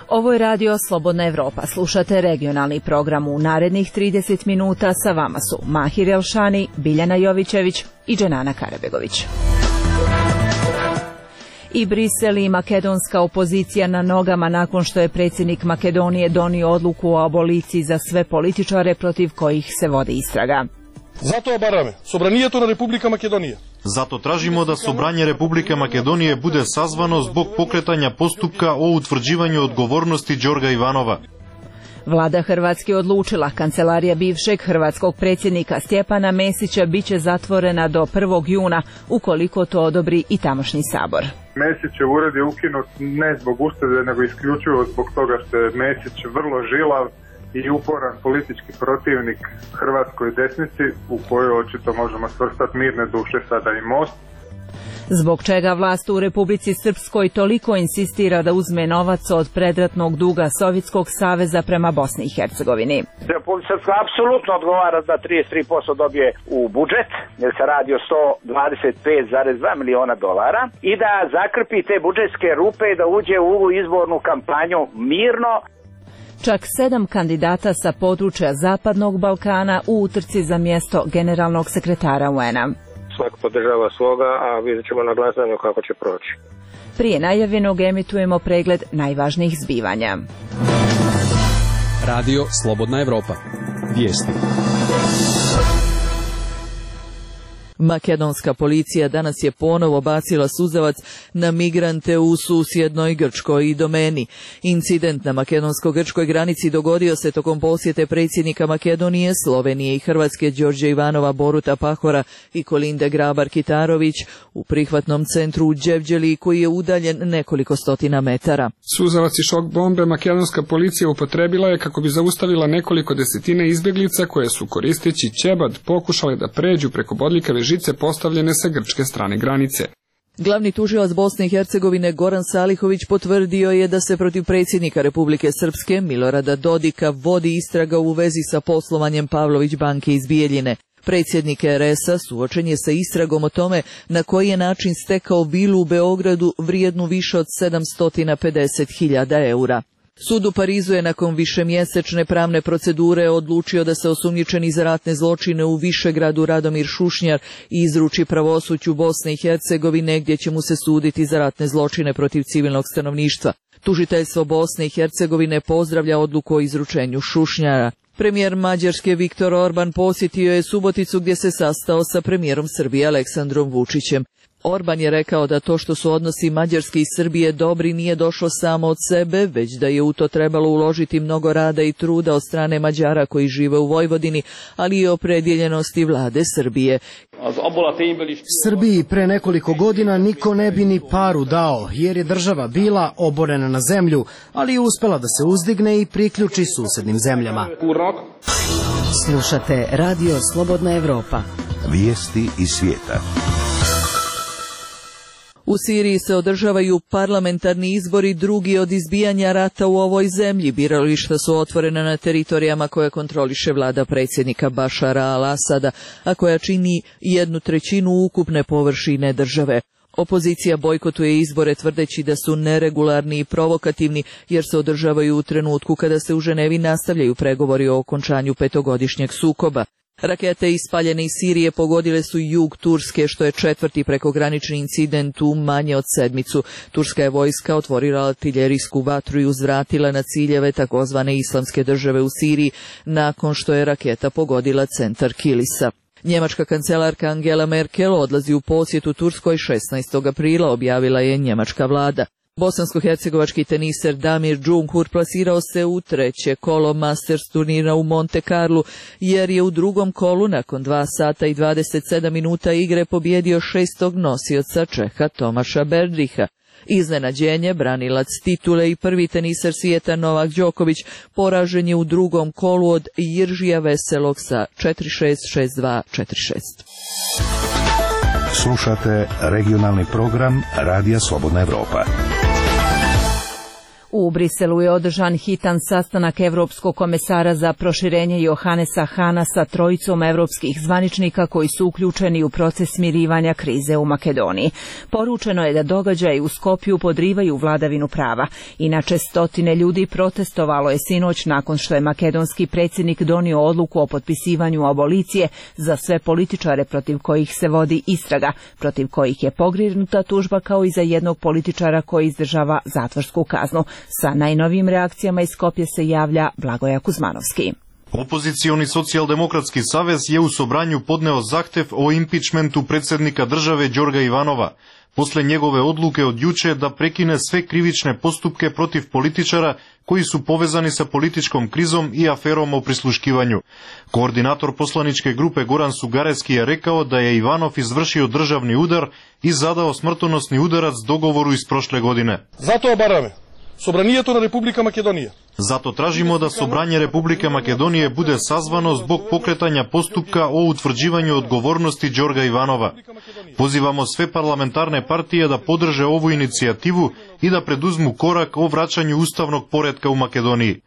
Ovo je radio Slobodna Evropa. Slušate regionalni program. U narednih 30 minuta sa vama su Mahir Elšani, Biljana Jovićević i Dženana Karabegović. I Brisel i makedonska opozicija na nogama nakon što je predsjednik Makedonije donio odluku o aboliciji za sve političare protiv kojih se vodi istraga. Zato бараме собранието на Република Македонија. Зато тражимо да собрање Република Македонија буде сазвано због покретања поступка о утврđivanju odgovornosti Đorga Ivanova. Vlada Hrvatske odlučila, kancelarija bivšeg hrvatskog predsjednika Stjepana Mesića biće zatvorena do 1. juna, ukoliko to odobri i tamošnji sabor. Mesićev ured je ukinut ne zbog uštede, nego isključivo zbog toga što je Mesić vrlo žilav i uporan politički protivnik hrvatskoj desnici, u kojoj očito možemo svrstati Mirne duše, sada i Most. Zbog čega vlast u Republici Srpskoj toliko insistira da uzme novac od predratnog duga Sovjetskog saveza prema Bosni i Hercegovini? Republika Srpska apsolutno odgovara da 33% dobije u budžet, jer se radi o $125,2 miliona i da zakrpi te budžetske rupe i da uđe u ovu izbornu kampanju mirno. Čak 7 kandidata sa područja Zapadnog Balkana u utrci za mjesto generalnog sekretara UN-a. Svako podržava svoga, a vidjet ćemo na glasanju kako će proći. Prije najavljenog emitujemo pregled najvažnijih zbivanja. Radio Slobodna Evropa. Vijesti. Makedonska policija danas je ponovo bacila suzavac na migrante u susjednoj Grčkoj i domeni. Incident na makedonsko-grčkoj granici dogodio se tokom posjete predsjednika Makedonije, Slovenije i Hrvatske Đorđa Ivanova, Boruta Pahora i Kolinde Grabar-Kitarović u prihvatnom centru u Đevđeli, koji je udaljen nekoliko stotina metara. Suzavac i šok bombe makedonska policija upotrebila je kako bi zaustavila nekoliko desetina izbjeglica koje su, koristeći ćebad, pokušale da pređu preko bodljikave žice postavljene sa grčke strane granice. Glavni tužilac Bosne i Hercegovine Goran Salihović potvrdio je da se protiv predsjednika Republike Srpske Milorada Dodika vodi istraga u vezi sa poslovanjem Pavlović banke iz Bijeljine. Predsjednik RS-a suočen je sa istragom o tome na koji je način stekao vilu u Beogradu vrijednu više od 750.000 eura. Sud u Parizu je nakon višemjesečne pravne procedure odlučio da se osumnjičeni za ratne zločine u Višegradu Radomir Šušnjar izruči pravosuđu Bosne i Hercegovine, gdje će mu se suditi za ratne zločine protiv civilnog stanovništva. Tužiteljstvo Bosne i Hercegovine pozdravlja odluku o izručenju Šušnjara. Premijer Mađarske Viktor Orban posjetio je Suboticu, gdje se sastao sa premijerom Srbije Aleksandrom Vučićem. Orban je rekao da to što su odnosi Mađarske i Srbije dobri nije došlo samo od sebe, već da je u to trebalo uložiti mnogo rada i truda od strane Mađara koji žive u Vojvodini, ali i opredjeljenosti vlade Srbije. Srbiji pre nekoliko godina niko ne bi ni paru dao, jer je država bila oborena na zemlju, ali je uspela da se uzdigne i priključi susednim zemljama. Slušate Radio Slobodna Evropa. Vijesti iz svijeta. U Siriji se održavaju parlamentarni izbori, drugi od izbijanja rata u ovoj zemlji. Birališta su otvorena na teritorijama koje kontroliše vlada predsjednika Bašara al-Asada, a koja čini 1/3 ukupne površine države. Opozicija bojkotuje izbore tvrdeći da su neregularni i provokativni, jer se održavaju u trenutku kada se u Ženevi nastavljaju pregovori o okončanju 5-godišnjeg sukoba. Rakete ispaljene iz Sirije pogodile su jug Turske, što je 4. prekogranični incident u manje od sedmicu. Turska je vojska otvorila artiljerijsku vatru i uzvratila na ciljeve takozvane islamske države u Siriji, nakon što je raketa pogodila centar Kilisa. Njemačka kancelarka Angela Merkel odlazi u posjetu Turskoj 16. aprila, objavila je njemačka vlada. Bosansko-hercegovački teniser Damir Džumhur plasirao se u 3. kolo Masters turnira u Monte Carlu, jer je u drugom kolu nakon 2 sata i 27 minuta igre pobjedio 6. nosioca Čeha Tomaša Berdriha. Iznenađenje, branilac titule i prvi teniser svijeta Novak Đoković poražen je u drugom kolu od Jiržija Veselog sa 4-6, 6-2, 4-6. Slušate regionalni program Radija Slobodna Evropa. U Briselu je održan hitan sastanak Evropskog komesara za proširenje Johannesa Hahna sa trojicom evropskih zvaničnika koji su uključeni u proces smirivanja krize u Makedoniji. Poručeno je da događaji u Skopju podrivaju vladavinu prava. Inače, stotine ljudi protestovalo je sinoć nakon što je makedonski predsjednik donio odluku o potpisivanju abolicije za sve političare protiv kojih se vodi istraga, protiv kojih je pokrenuta tužba kao i za jednog političara koji izdržava zatvorsku kaznu. Sa najnovijim reakcijama iz Skopje se javlja Blagoja Kuzmanovski. Opozicioni socijaldemokratski savez je u Sobranju podneo zahtev o impičmentu predsjednika države Đorga Ivanova, posle njegove odluke od juče da prekine sve krivične postupke protiv političara koji su povezani sa političkom krizom i aferom o prisluškivanju. Koordinator poslaničke grupe Goran Sugareski je rekao da je Ivanov izvršio državni udar i zadao smrtonosni udarac dogovoru iz prošle godine. Zato obarаме Собранието на Република Македонија. Zato tražimo da Sobranje Republike Makedonije bude sazvano zbog pokretanja postupka o utvrđivanju odgovornosti Đorga Ivanova. Pozivamo sve parlamentarne partije da podrže ovu inicijativu i da preduzmu korak o vraćanju ustavnog poretka u Makedoniji.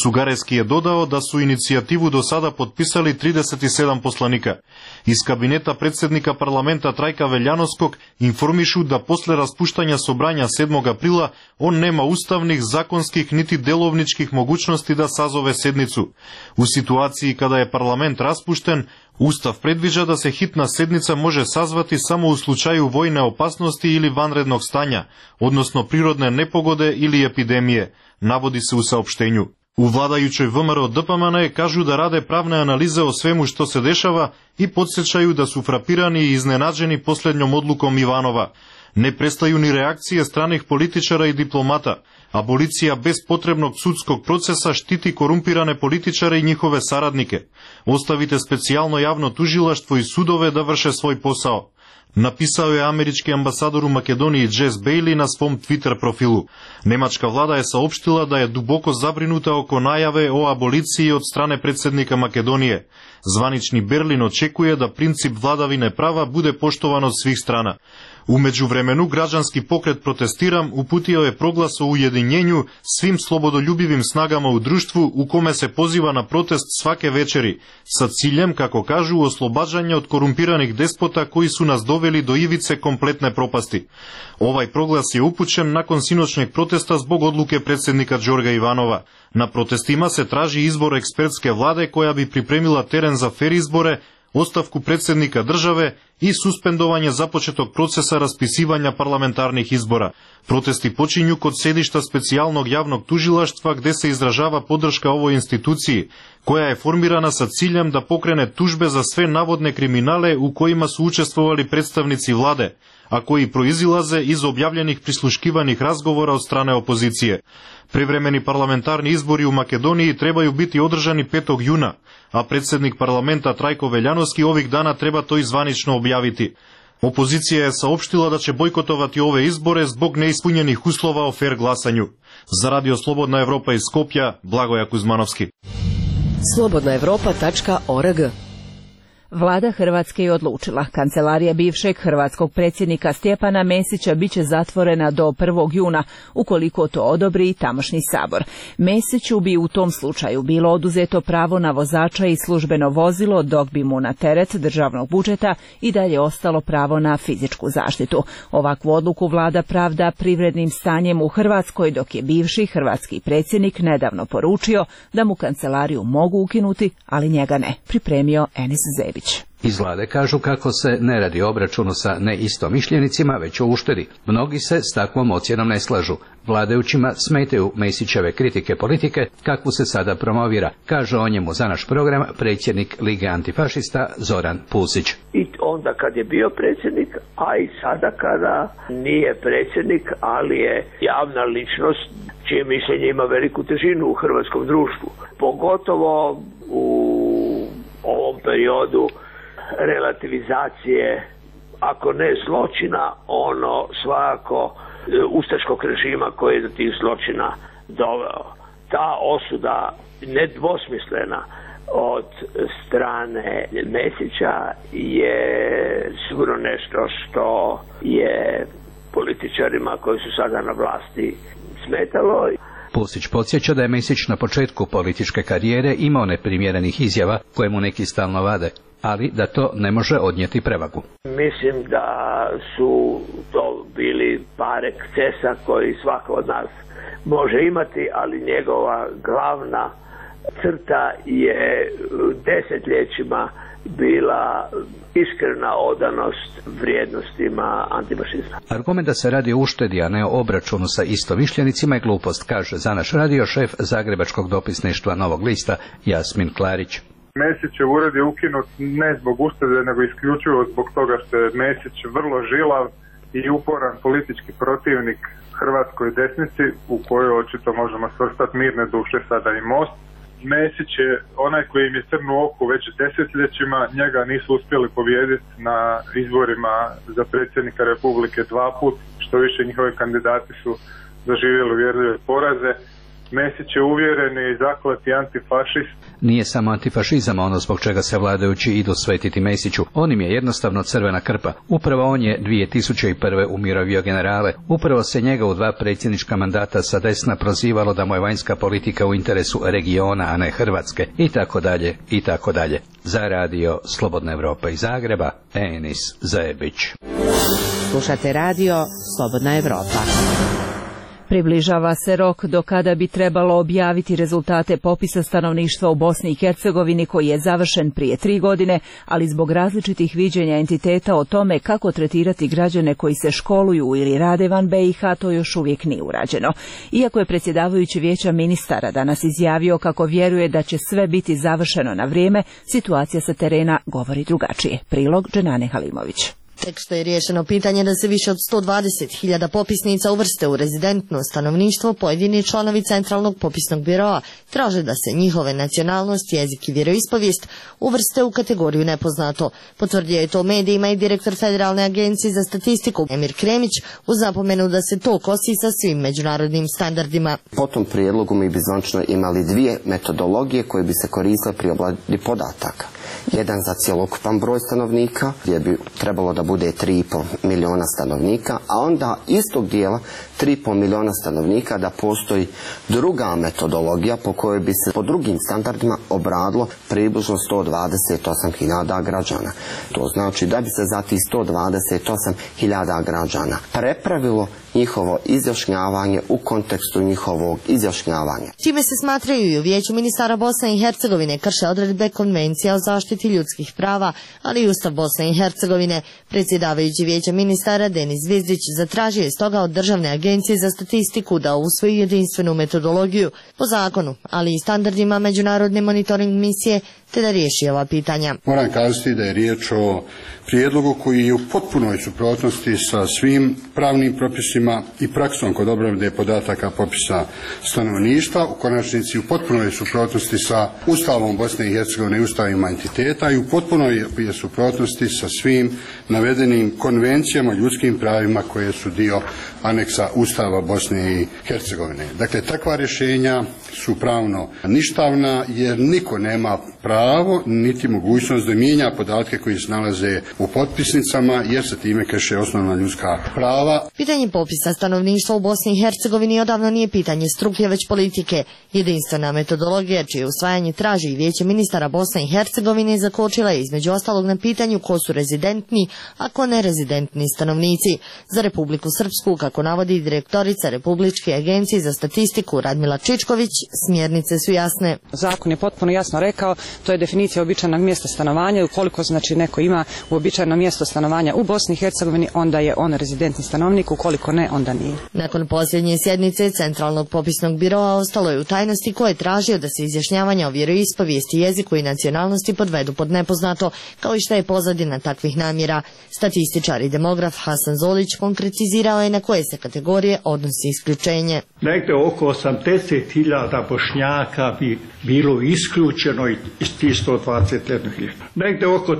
Sugareski je dodao da su inicijativu do sada potpisali 37 poslanika. Iz kabineta predsjednika parlamenta Trajka Veljanovskog informišu da posle raspuštanja Sobranja 7. aprila on nema ustavnih, zakonskih niti delovničkih mogućnosti da sazove sednicu. U situaciji kada je parlament raspušten, Ustav predviđa da se hitna sednica može sazvati samo u slučaju vojne opasnosti ili vanrednog stanja, odnosno prirodne nepogode ili epidemije, navodi se u saopštenju. U vladajućoj ВМРО ДПМН kažu da rade pravne analize o svemu što se dešava i podsjećaju da su frapirani i iznenađeni posljednjom odlukom Ivanova. Ne prestaju ni reakcije stranih političara i diplomata. Abolicija bez potrebnog sudskog procesa štiti korumpirane političare i njihove saradnike. Ostavite specijalno javno tužilaštvo i sudove da vrše svoj posao. Napisao je američki ambasador u Makedoniji Jess Bailey na svom Twitter profilu. Nemačka vlada je saopštila da je duboko zabrinuta oko najave o aboliciji od strane predsjednika Makedonije. Zvanični Berlin očekuje da princip vladavine prava bude poštovan od svih strana. U međuvremenu građanski pokret Protestiram uputio je proglas o ujedinjenju svim slobodoljubivim snagama u društvu u kome se poziva na protest svake večeri, sa ciljem, kako kažu, oslobađanja od korumpiranih despota koji su nas doveli do ivice kompletne propasti. Ovaj proglas je upućen nakon sinoćnjeg protesta zbog odluke predsjednika Đorga Ivanova. Na protestima se traži izbor ekspertske vlade koja bi pripremila teren za fer izbore, ostavku predsjednika države i suspendovanje započetog procesa raspisivanja parlamentarnih izbora. Protesti počinju kod sedišta specijalnog javnog tužilaštva gdje se izražava podrška ovoj instituciji, koja je formirana sa ciljem da pokrene tužbe za sve navodne kriminale u kojima su učestvovali predstavnici vlade, a koji proizilaze iz objavljenih prisluškivanih razgovora od strane opozicije. Privremeni parlamentarni izbori u Makedoniji trebaju biti održani 5. juna, a predsjednik parlamenta Trajko Veljanovski ovih dana treba to i zvanično objaviti. Opozicija je saopštila da će bojkotovati ove izbore zbog neispunjenih uslova o fer glasanju. Za Radio Slobodna Evropa iz Skopja, Blagoja Kuzmanovski. slobodnaevropa.org. Vlada Hrvatske je odlučila. Kancelarija bivšeg hrvatskog predsjednika Stjepana Mesića biće zatvorena do 1. juna, ukoliko to odobri tamošnji sabor. Mesiću bi u tom slučaju bilo oduzeto pravo na vozača i službeno vozilo, dok bi mu na teret državnog budžeta i dalje ostalo pravo na fizičku zaštitu. Ovakvu odluku vlada pravda privrednim stanjem u Hrvatskoj, dok je bivši hrvatski predsjednik nedavno poručio da mu kancelariju mogu ukinuti, ali njega ne, pripremio Enis Zebić. Iz vlade kažu kako se ne radi o obračunu sa neistomišljenicima, već o uštedi. Mnogi se s takvom ocjenom ne slažu. Vladajućima smetaju Mesićeve kritike politike, kakvu se sada promovira, kaže o njemu za naš program predsjednik Lige antifašista Zoran Pusić. I onda kad je bio predsjednik, a i sada kada nije predsjednik, ali je javna ličnost čije mišljenje ima veliku težinu u hrvatskom društvu. Pogotovo u ovom periodu relativizacije, ako ne zločina, ono svakako ustaškog režima koji je do tih zločina doveo. Ta osuda nedvosmislena od strane Mesića je sigurno nešto što je političarima koji su sada na vlasti smetalo. Pusić podsjeća da je Mesić na početku političke karijere imao neprimjerenih izjava koje mu neki stalno vade, ali da to ne može odnijeti prevagu. Mislim da su to bili par ekscesa koji svako od nas može imati, ali njegova glavna crta je desetljećima bila iskrena odanost vrijednostima antifašizma. Argument da se radi o uštedi, a ne o obračunu sa istomišljenicima je glupost, kaže za naš radio šef Zagrebačkog dopisništva Novog lista Jasmin Klarić. Mesićev ured je ukinut ne zbog uštede, nego isključivo zbog toga što je Mesić vrlo žilav i uporan politički protivnik hrvatskoj desnici, u kojoj očito možemo svrstati mirne duše sada i Most. Mesić je onaj koji im je crnu oku već desetljećima, njega nisu uspjeli pobijediti na izborima za predsjednika Republike 2 puta, što više njihovi kandidati su doživjeli uvjerljive poraze. Mesić je uvjereni i zakleti antifašist. Nije samo antifašizam ono zbog čega se vladajući idu svetiti Mesiću. On im je jednostavno crvena krpa. Upravo on je 2001. umirovio generale. Upravo se njega u 2 predsjednička mandata sa desna prozivalo da mu je vanjska politika u interesu regiona, a ne Hrvatske. I tako dalje, i tako dalje. Za radio Slobodna Evropa iz Zagreba, Enis Zajebić. Slušate radio Slobodna Evropa. Približava se rok do kada bi trebalo objaviti rezultate popisa stanovništva u Bosni i Hercegovini koji je završen prije 3 godine, ali zbog različitih viđenja entiteta o tome kako tretirati građane koji se školuju ili rade van BiH, to još uvijek nije urađeno. Iako je predsjedavajući Vijeća ministara danas izjavio kako vjeruje da će sve biti završeno na vrijeme, situacija sa terena govori drugačije. Prilog Dženane Halimović. Tek što je riješeno pitanje da se više od 120.000 popisnica uvrste u rezidentno stanovništvo, pojedini članovi Centralnog popisnog biroa traže da se njihove nacionalnost, jezik i vjeroispovijest uvrste u kategoriju nepoznato. Potvrdio je to medijima i direktor Federalne agencije za statistiku Emir Kremić uz napomenu da se to kosi sa svim međunarodnim standardima. Po tom prijedlogu mi bi zvanično imali 2 metodologije koje bi se koristile pri obradi podataka. Jedan za cjelokupan broj stanovnika, gdje bi trebalo da bude 3,5 miliona stanovnika, a onda istog dijela 3,5 miliona stanovnika da postoji druga metodologija po kojoj bi se po drugim standardima obradilo približno 128.000 građana. To znači da bi se za tih 128.000 građana prepravilo njihovo izjašnjavanje u kontekstu njihovog izjašnjavanja. Čime se smatraju i u Vijeću ministara Bosne i Hercegovine krše odredbe Konvencija o zaštiti ljudskih prava, ali i Ustav Bosne i Hercegovine. Predsjedavajući Vijeća ministara Denis Zvizdić zatražio je stoga od Državne agencije za statistiku da usvoji jedinstvenu metodologiju po zakonu, ali i standardima međunarodne monitoring misije, te da riješi ova pitanja. Moram kazati da je riječ o prijedlogu koji je u potpunoj suprotnosti sa svim pravnim propisima i praksom kod obrade podataka popisa stanovništva, u konačnici u potpunoj suprotnosti sa Ustavom Bosne i Hercegovine i ustavima entiteta i u potpunoj je suprotnosti sa svim navedenim konvencijama o ljudskim pravima koje su dio aneksa Ustava Bosne i Hercegovine. Dakle, takva rješenja su pravno ništavna jer niko nema pravo niti mogućnost da mijenja podatke koji se nalaze u potpisnicama jer se time krše osnovna ljudska prava. Pitanje popisa stanovništva u Bosni i Hercegovini odavno nije pitanje struke već politike. Jedinstvena metodologija čije usvajanje traži i Vijeće ministara Bosne i Hercegovine zakočila je između ostalog na pitanju ko su rezidentni, a ko nerezidentni stanovnici. Za Republiku Srpsku, kako navodi direktorica Republičke agencije za statistiku Radmila Čičković, smjernice su jasne. Zakon je potpuno jasno rekao, to je definicija uobičajenog mjesta stanovanja. Ukoliko znači neko ima uobičajeno mjesto stanovanja u Bosni i Hercegovini, onda je on rezidentni stanovnik, ukoliko ne, onda nije. Nakon posljednje sjednice Centralnog popisnog biroa ostalo je u tajnosti ko je tražio da se izjašnjavanja o vjeroispovijesti, jeziku i nacionalnosti podvedu pod nepoznato, kao i šta je pozadina takvih namjera. Statističar i demograf Hasan Zolić konkretizirao je na koje se kategorije odnosi isključenje. Negde oko 80.000 Bošnjaka bi bilo isključeno iz tih 121.000. Negde oko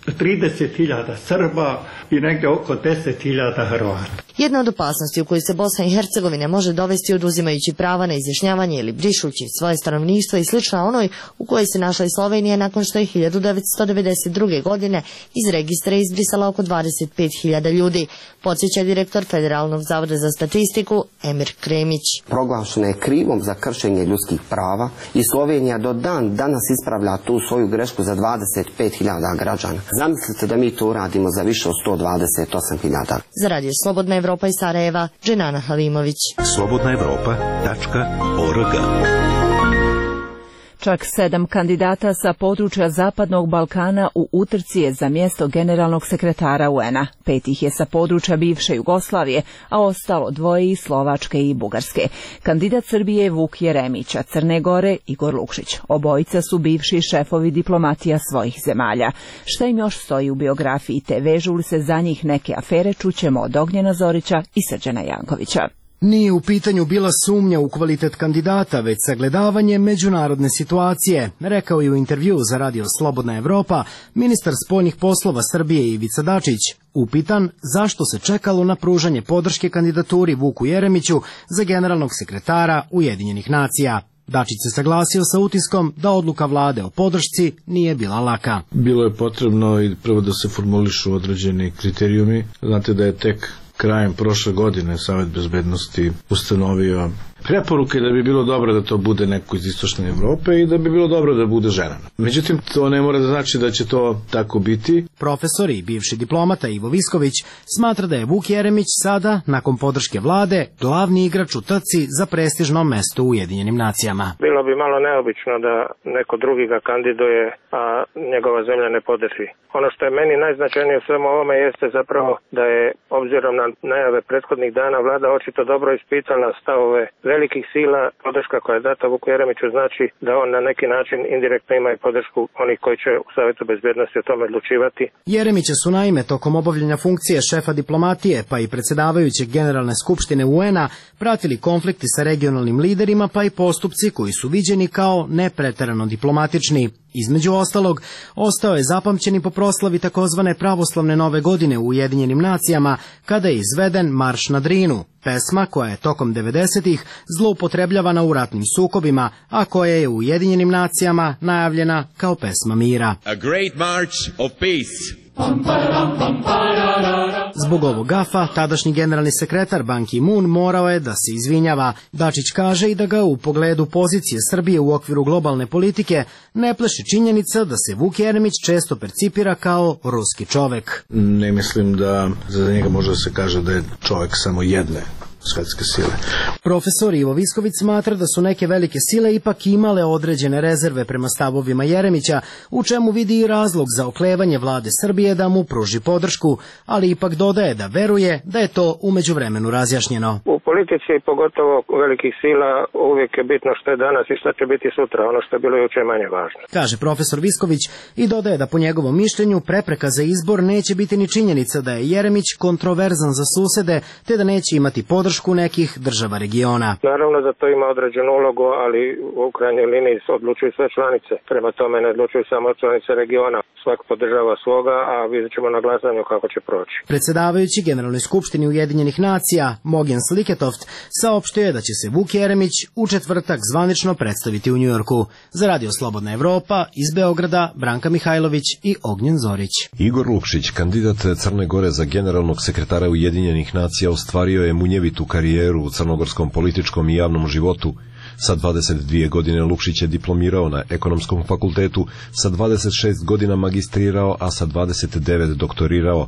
30.000 Srba i negde oko 10.000 Hrvata. Jedna od opasnosti u koju se Bosna i Hercegovina može dovesti oduzimajući prava na izjašnjavanje ili brišući svoje stanovništvo i slična onoj u kojoj se našla i Slovenija nakon što je 1992. godine iz registra izbrisala oko 25.000 ljudi, podsjeća direktor Federalnog zavoda za statistiku Emir Kremić. Proglašena je krivom za kršenje ljudskih prava i Slovenija do dan danas ispravlja tu svoju grešku za 25.000 građana. Zamislite da mi to uradimo za više od 128.000. Za radio Slobodna Evropa iz Sarajeva, Dženana Halimović. slobodnaevropa.org. Čak 7 kandidata sa područja Zapadnog Balkana u utrci je za mjesto generalnog sekretara UN-a. 5 ih je sa područja bivše Jugoslavije, a ostalo 2 iz Slovačke i Bugarske. Kandidat Srbije je Vuk Jeremić, a Crne Gore Igor Lukšić. Obojica su bivši šefovi diplomatija svojih zemalja. Šta im još stoji u biografiji te vežu li se za njih neke afere, čućemo od Ognjena Zorića i Srđana Jankovića. Nije u pitanju bila sumnja u kvalitet kandidata, već sagledavanje međunarodne situacije, rekao je u intervju za radio Slobodna Evropa ministar spoljnih poslova Srbije Ivica Dačić, upitan zašto se čekalo na pružanje podrške kandidaturi Vuku Jeremiću za generalnog sekretara Ujedinjenih nacija. Dačić se saglasio sa utiskom da odluka vlade o podršci nije bila laka. Bilo je potrebno i prvo da se formulišu određeni kriterijumi. Znate da je tek krajem prošle godine Savet bezbednosti ustanovio preporuke da bi bilo dobro da to bude neko iz istočne Evrope i da bi bilo dobro da bude žena. Međutim, to ne mora da znači da će to tako biti. Profesor i bivši diplomata Ivo Visković smatra da je Vuk Jeremić sada, nakon podrške vlade, glavni igrač u trci za prestižno mesto u Ujedinjenim nacijama. Bilo bi malo neobično da neko drugi ga kandiduje, a njegova zemlja ne podrži. Ono što je meni najznačajnije u svemu ovome jeste zapravo da je, obzirom na najave prethodnih dana, vlada očito dobro ispitala stavove velikih sila. Podrška koja je data Vuku Jeremiću znači da on na neki način indirektno ima i podršku onih koji će u Savetu bezbednosti o tome odlučivati. Jeremića su naime tokom obavljanja funkcije šefa diplomatije pa i predsjedavajućeg Generalne skupštine UN-a pratili konflikti sa regionalnim liderima pa i postupci koji su viđeni kao nepreterano diplomatični. Između ostalog, ostao je zapamćen i po proslavi takozvane pravoslavne nove godine u Ujedinjenim nacijama, kada je izveden Marš na Drinu, pesma koja je tokom 90-ih zloupotrebljavana u ratnim sukobima, a koja je u Ujedinjenim nacijama najavljena kao pesma mira. A great march of peace. Zbog ovog gafa, tadašnji generalni sekretar Ban Ki-moon morao je da se izvinjava. Dačić kaže i da ga u pogledu pozicije Srbije u okviru globalne politike ne plaši činjenica da se Vuk Jeremić često percipira kao ruski čovek. Ne mislim da za njega može da se kaže da je čovek samo jedne svetske sile. Profesor Ivo Visković smatra da su neke velike sile ipak imale određene rezerve prema stavovima Jeremića, u čemu vidi i razlog za oklevanje vlade Srbije da mu pruži podršku, ali ipak dodaje da veruje da je to u međuvremenu razjašnjeno. U politici, pogotovo velikih sila, uvijek je bitno što je danas i što će biti sutra, ono što je bilo juče manje važno. Kaže profesor Visković i dodaje da po njegovom mišljenju prepreka za izbor neće biti ni činjenica da je Jeremić kontroverzan za susede, te da neće imati podršku nekih država regiona. Naravno da to ima određenu ulogu, ali u krajnjoj liniji odlučuju sve članice. Prema tome ne odlučuju samo članice regiona. Svak podržava svoga, a vidjet ćemo na glasanju kako će proći. Predsjedavajući Generalnoj skupštini Ujedinjenih nacija Mogjen Sliketoft saopštio je da će se Vuk Jeremić u četvrtak zvanično predstaviti u Njujorku. Za radio Slobodna Evropa iz Beograda Branka Mihajlović i Ognjen Zorić. Igor Lukšić, kandidat Crne Gore za generalnog sekretara Ujedinjenih nacija, ostvario je munjevitu karijeru u crnogorskom političkom i javnom životu. Sa 22 godine Lukšić je diplomirao na Ekonomskom fakultetu, sa 26 godina magistrirao, a sa 29 doktorirao.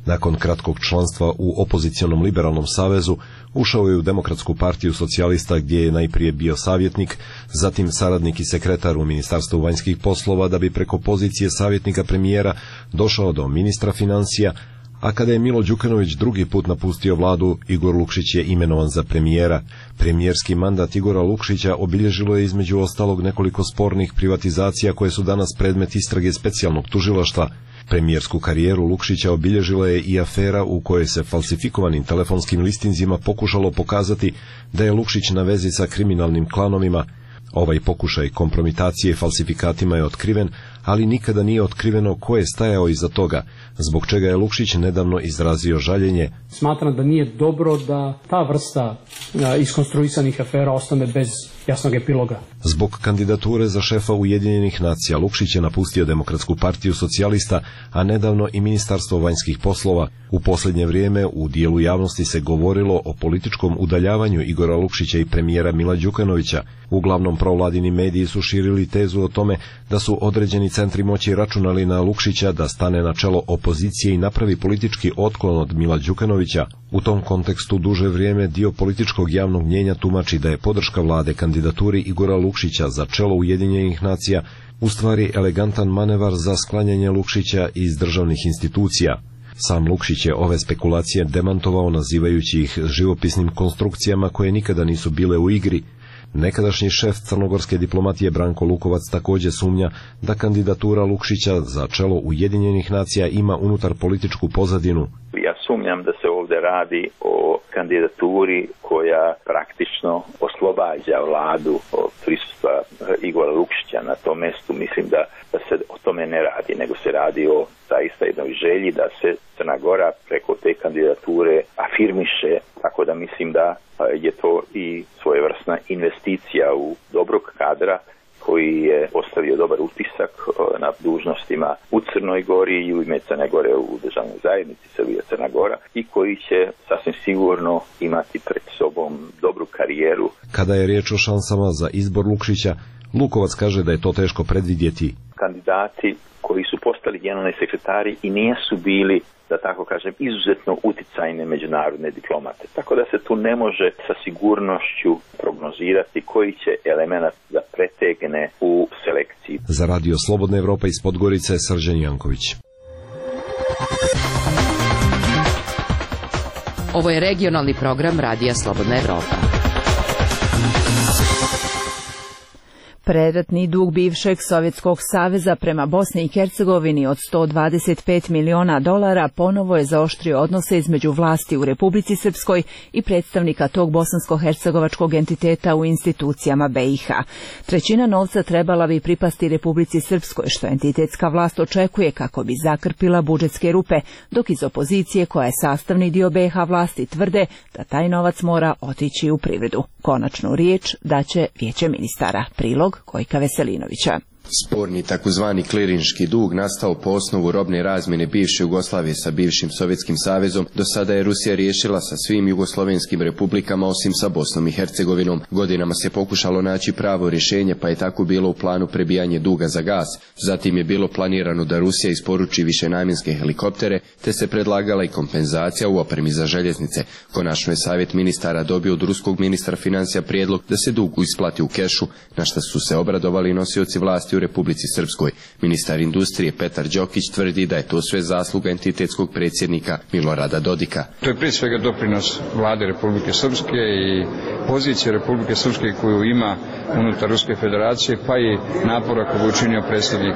Nakon kratkog članstva u opozicionom liberalnom savezu, ušao je u Demokratsku partiju socijalista gdje je najprije bio savjetnik, zatim saradnik i sekretar u Ministarstvu vanjskih poslova, da bi preko pozicije savjetnika premijera došao do ministra financija, a kada je Milo Đukanović drugi put napustio vladu, Igor Lukšić je imenovan za premijera. Premijerski mandat Igora Lukšića obilježilo je između ostalog nekoliko spornih privatizacija koje su danas predmet istrage specijalnog tužilaštva. Premijersku karijeru Lukšića obilježila je i afera u kojoj se falsifikovanim telefonskim listinzima pokušalo pokazati da je Lukšić na vezi sa kriminalnim klanovima. Ovaj pokušaj kompromitacije falsifikatima je otkriven, ali nikada nije otkriveno ko je stajao iza toga, zbog čega je Lukšić nedavno izrazio žaljenje. Smatram da nije dobro da ta vrsta iskonstruisanih afera ostane bez jasnog epiloga. Zbog kandidature za šefa Ujedinjenih nacija Lukšić je napustio Demokratsku partiju socijalista, a nedavno i Ministarstvo vanjskih poslova. U posljednje vrijeme u dijelu javnosti se govorilo o političkom udaljavanju Igora Lukšića i premijera Mila Đukanovića. Uglavnom provladini mediji su širili tezu o tome da su određeni centri moći računali na Lukšića da stane na čelo opozicije i napravi politički otklon od Mila Đukanovića. U tom kontekstu duže vrijeme dio političkog javnog mnjenja tumači da je podrška vlade kandidaturi Igora Lukšića za čelo Ujedinjenih nacija u stvari elegantan manevar za sklanjanje Lukšića iz državnih institucija. Sam Lukšić je ove spekulacije demantovao nazivajući ih živopisnim konstrukcijama koje nikada nisu bile u igri. Nekadašnji šef crnogorske diplomatije Branko Lukovac također sumnja da kandidatura Lukšića za čelo Ujedinjenih nacija ima unutar političku pozadinu. Ja sumnjam da se ovdje radi o kandidaturi koja praktično oslobađa vladu od prisustva Igora Lukšića na tom mjestu. Mislim da se o tome ne radi, nego se radi o zaista jednoj želji da se Crna Gora preko te kandidature afirmiše, tako da mislim da je to i svojevrsna investicija u dobrog kadra koji je ostavio dobar utisak na dužnostima u Crnoj Gori i u ime Crne Gore u državnoj zajednici Srbija Crna Gora i koji će sasvim sigurno imati pred sobom dobru karijeru. Kada je riječ o šansama za izbor Lukšića, Lukovac kaže da je to teško predvidjeti. Kandidati koji su postali generalni sekretari i nisu bili, da tako kažem, izuzetno uticajne međunarodne diplomate. Tako da se tu ne može sa sigurnošću prognozirati koji će element da pretegne u selekciji. Za Radio Slobodna Evropa iz Podgorice, Srđan Janković. Ovo je regionalni program Radija Slobodna Evropa. Predatni dug bivšeg Sovjetskog saveza prema Bosni i Hercegovini od $125 miliona ponovo je zaoštrio odnose između vlasti u Republici Srpskoj i predstavnika tog bosansko-hercegovačkog entiteta u institucijama BiH. Trećina novca trebala bi pripasti Republici Srpskoj, što entitetska vlast očekuje kako bi zakrpila budžetske rupe, dok iz opozicije, koja je sastavni dio BiH vlasti, tvrde da taj novac mora otići u privredu. Konačnu riječ daće Vijeće ministara. Prilog Gojka Veselinovića. Sporni takozvani klirinški dug nastao po osnovu robne razmjene bivše Jugoslavije sa bivšim Sovjetskim savezom do sada je Rusija riješila sa svim jugoslovenskim republikama osim sa Bosnom i Hercegovinom. Godinama se pokušalo naći pravo rješenje, pa je tako bilo u planu prebijanje duga za gas. Zatim je bilo planirano da Rusija isporuči višenamjenske helikoptere, te se predlagala i kompenzacija u opremi za željeznice. Konačno je savjet ministara dobio od ruskog ministra financija prijedlog da se dug isplati u kešu, na što su se obradovali nosioci vlasti u Republici Srpskoj. Ministar industrije Petar Đokić tvrdi da je to sve zasluga entitetskog predsjednika Milorada Dodika. To je prije svega doprinos vlade Republike Srpske i pozicije Republike Srpske koju ima unutar Ruske federacije, pa i napora koju je učinio predsjednik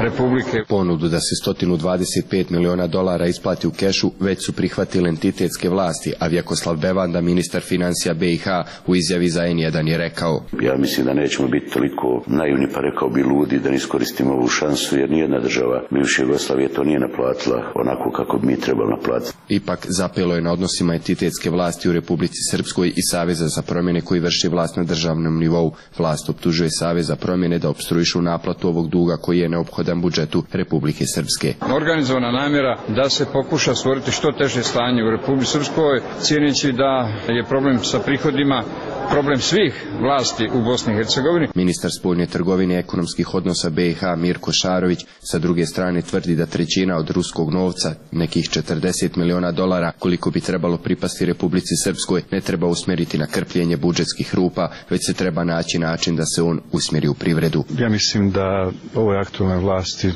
Republike. Ponudu da se $125 miliona isplati u kešu već su prihvatile entitetske vlasti, a Vjekoslav Bevanda, ministar financija BiH, u izjavi za N1 je rekao: Ja mislim da nećemo biti toliko naivni, pa rekao bi ludi, da ne iskoristimo ovu šansu, jer nijedna država bivše Jugoslavije to nije naplatila onako kako bi mi trebali naplatiti. Ipak zapelo je na odnosima entitetske vlasti u Republici Srpskoj i Saveza za promjene koji vrši vlast na državnom nivou. Vlast optužuje Savez za promjene da opstruišu naplatu ovog duga koji je neophodan budžetu Republike Srpske. Organizovana namjera da se pokuša stvoriti što teže stanje u Republici Srpskoj, cijeneći da je problem sa prihodima problem svih vlasti u Bosni i Hercegovini. Ministar spoljne trgovine i ekonomskih odnosa BiH Mirko Šarović sa druge strane tvrdi da trećina od ruskog novca, nekih $40 miliona, koliko bi trebalo pripasti Republici Srpskoj, ne treba usmjeriti na krpljenje budžetskih rupa, već se treba naći način da se on usmjeri u privredu. Ja mislim da ovoj aktualnoj vlasti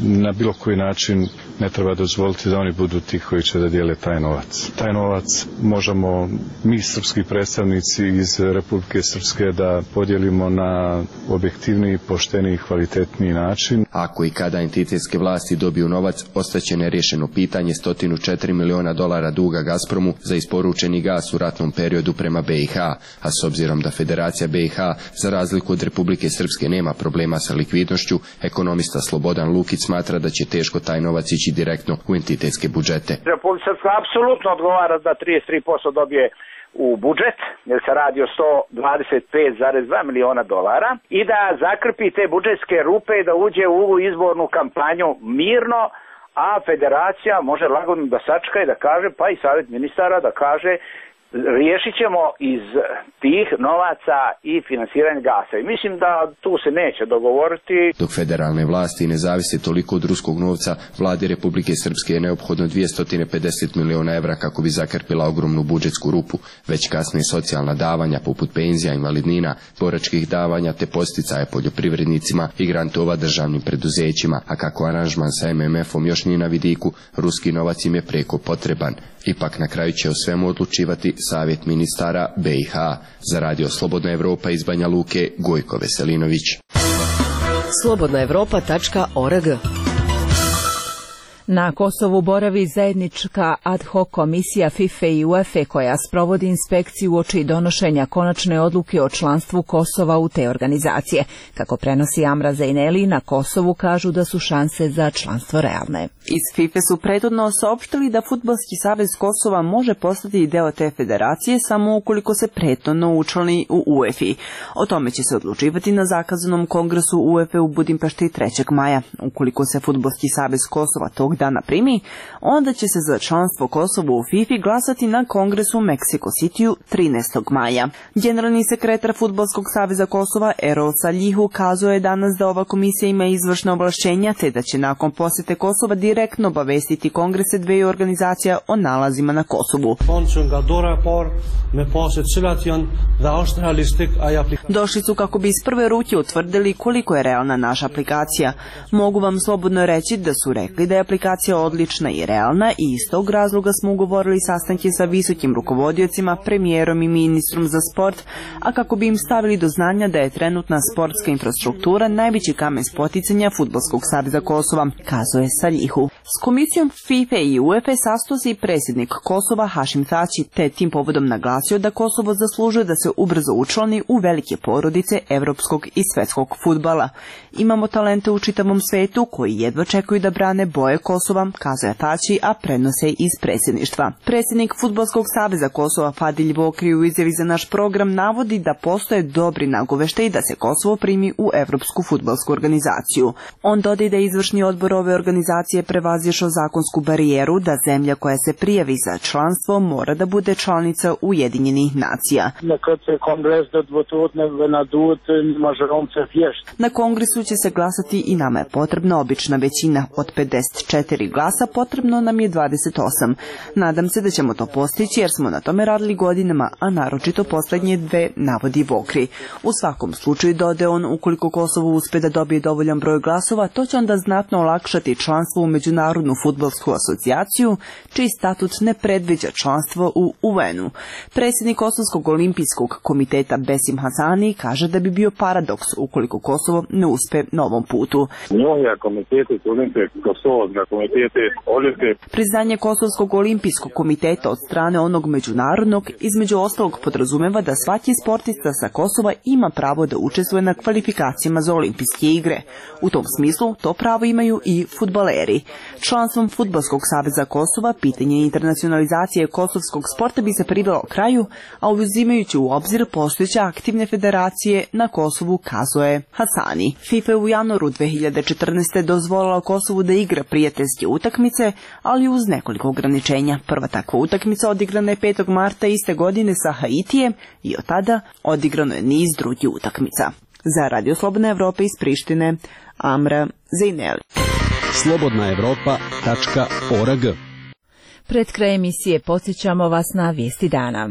na bilo koji način ne treba dozvoliti da oni budu ti koji će da dijele taj novac. Taj novac možemo mi, srpski predstavnici iz Republike Srpske, da podijelimo na objektivniji, pošteniji, kvalitetniji način. Ako i kada entitetske vlasti dobiju novac, ostaće nerješeno pitanje $104 miliona duga Gazpromu za isporučeni gas u ratnom periodu prema BiH, a s obzirom da Federacija BiH, za razliku od Republike Srpske, nema problema sa likvidnošću, ekonomista Slobodan Lukić smatra da će teško taj novac ići direktno u entitetske budžete. Republika Srpska apsolutno odgovara da 33% dobije u budžet, jer se radi o $125,2 miliona i da zakrpi te budžetske rupe i da uđe u izbornu kampanju mirno, a federacija može lagodno da sačka i da kaže, pa i savjet ministara da kaže, riješit ćemo iz tih novaca i finansiranje gasa. I mislim da tu se neće dogovoriti. Dok federalne vlasti ne zavise toliko od ruskog novca, vladi Republike Srpske je neophodno $250 miliona kako bi zakrpila ogromnu budžetsku rupu. Već kasnije socijalna davanja poput penzija, invalidnina, boračkih davanja te posticaje poljoprivrednicima i grantova državnim preduzećima, a kako aranžman sa MMF-om još nije na vidiku, ruski novac im je preko potreban. Ipak na kraju će o svemu odlučivati savjet ministara BiH. Za Radio Slobodna Evropa iz Banja Luke, Gojko Veselinović. slobodnaevropa.org. Na Kosovu boravi zajednička ad hoc komisija FIFA i UEFA koja sprovodi inspekciju uoči donošenja konačne odluke o članstvu Kosova u te organizacije. Kako prenosi Amra Zejneli, na Kosovu kažu da su šanse za članstvo realne. Iz FIFA su prethodno saopštili da Fudbalski savez Kosova može postati deo te federacije samo ukoliko se prethodno učlani u UEFA. O tome će se odlučivati na zakazanom kongresu UEFA u Budimpešti 3. maja. Ukoliko se Fudbalski savez Kosova tog dana primi, onda će se za članstvo Kosova u FIFA glasati na kongresu u Mexico Cityu 13. maja. Generalni sekretar Fudbalskog saveza Kosova Erol Saljihu kazao je danas da ova komisija ima izvršna ovlašćenja te da će nakon posjete Kosova direktno obavestiti kongrese dveju organizacija o nalazima na Kosovu. Došli su kako bi iz prve ruke utvrdili koliko je realna naša aplikacija. Mogu vam slobodno reći da su rekli da je aplikacija odlična i realna i iz tog razloga smo ugovorili sastanke sa visokim rukovodiocima, premijerom i ministrom za sport, a kako bi im stavili do znanja da je trenutna sportska infrastruktura najveći kamen spoticanja Fudbalskog saveza Kosova, kazao je Saljihu. S komisijom FIFA i UEFA sastao se i predsjednik Kosova Hašim Tači, te tim povodom naglasio da Kosovo zaslužuje da se ubrzo učlani u velike porodice evropskog i svetskog fudbala. Imamo talente u čitavom svetu koji jedva čekaju da brane boje Kosova, kazao je Tači, a prenose iz predsjedništva. Predsjednik Fudbalskog saveza Kosova Fadilj Vokri u izjavi za naš program navodi da postoje dobri nagoveštaji da se Kosovo primi u Evropsku fudbalsku organizaciju. On dodaje da je izvršni odbor ove organizacije prevazišao zakonsku barijeru da zemlja koja se prijavi za članstvo mora da bude članica Ujedinjenih nacija. Na kongresu će se glasati i nama je potrebna obična većina od 54 glasa, potrebno nam je 28. Nadam se da ćemo to postići jer smo na tome radili godinama, a naročito posljednje dve, navodi Vokri. U svakom slučaju, dodaje on, ukoliko Kosovo uspe da dobije dovoljan broj glasova, to će onda znatno olakšati članstvo u Međunarodnu fudbalsku asocijaciju, čiji statut ne predviđa članstvo u UN-u. Predsjednik Kosovskog olimpijskog komiteta Besim Hasani kaže da bi bio paradoks ukoliko Kosovo ne uspe na ovom putu. Priznanje Kosovskog olimpijskog komiteta od strane onog međunarodnog između ostalog podrazumeva da svaki sportista sa Kosova ima pravo da učestvuje na kvalifikacijama za olimpijske igre. U tom smislu to pravo imaju i fudbaleri. Članstvom Fudbalskog saveza Kosova pitanje internacionalizacije kosovskog sporta bi se privelo kraju, a uzimajući u obzir postojeće aktivne federacije na Kosovu, kazao je Hasani. FIFA je u januaru 2014. dozvolila Kosovu da igra prijateljske utakmice, ali uz nekoliko ograničenja. Prva takva utakmica odigrana je 5. marta iste godine sa Haitijem i od tada odigrano je niz drugih utakmica. Za Radio Slobodna Evropa iz Prištine, Amra Zejneli. slobodnaevropa.org. Pred kraj emisije podsjećamo vas na vijesti dana.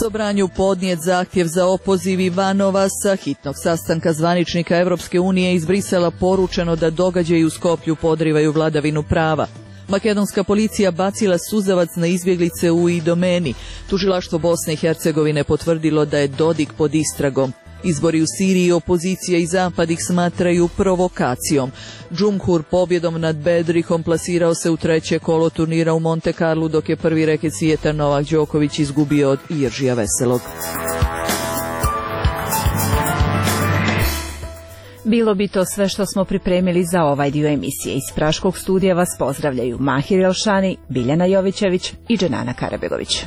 Sobranju podnijet zahtjev za opoziv Ivanova sa hitnog sastanka zvaničnika Evropske unije iz Brisela poručeno da događaji u Skoplju podrivaju vladavinu prava. Makedonska policija bacila suzavac na izbjeglice u Idomeni. Tužilaštvo Bosne i Hercegovine potvrdilo da je Dodik pod istragom. Izbori u Siriji opozicija i Zapad ih smatraju provokacijom. Džumhur pobjedom nad Bedrihom plasirao se u treće kolo turnira u Monte Carlu, dok je prvi reket svijeta Novak Đoković izgubio od Iržija Veselog. Bilo bi to sve što smo pripremili za ovaj dio emisije. Iz Praškog studija vas pozdravljaju Mahir Elšani, Biljana Jovićević i Dženana Karabegović.